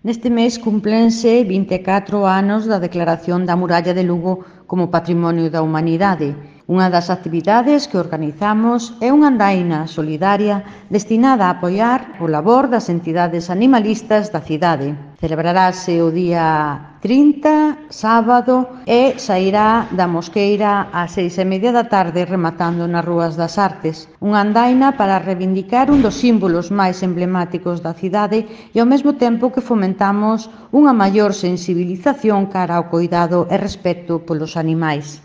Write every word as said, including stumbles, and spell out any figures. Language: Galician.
Neste mes cúmplense vinte e catro anos da declaración da Muralla de Lugo como Patrimonio da Humanidade. Unha das actividades que organizamos é unha andaina solidaria destinada a apoiar o labor das entidades animalistas da cidade. Celebrarase o día trinta, sábado, e sairá da Mosqueira ás seis e media da tarde rematando nas Rúas das Artes. Unha andaina para reivindicar un dos símbolos máis emblemáticos da cidade e ao mesmo tempo que fomentamos unha maior sensibilización cara ao coidado e respecto polos animais.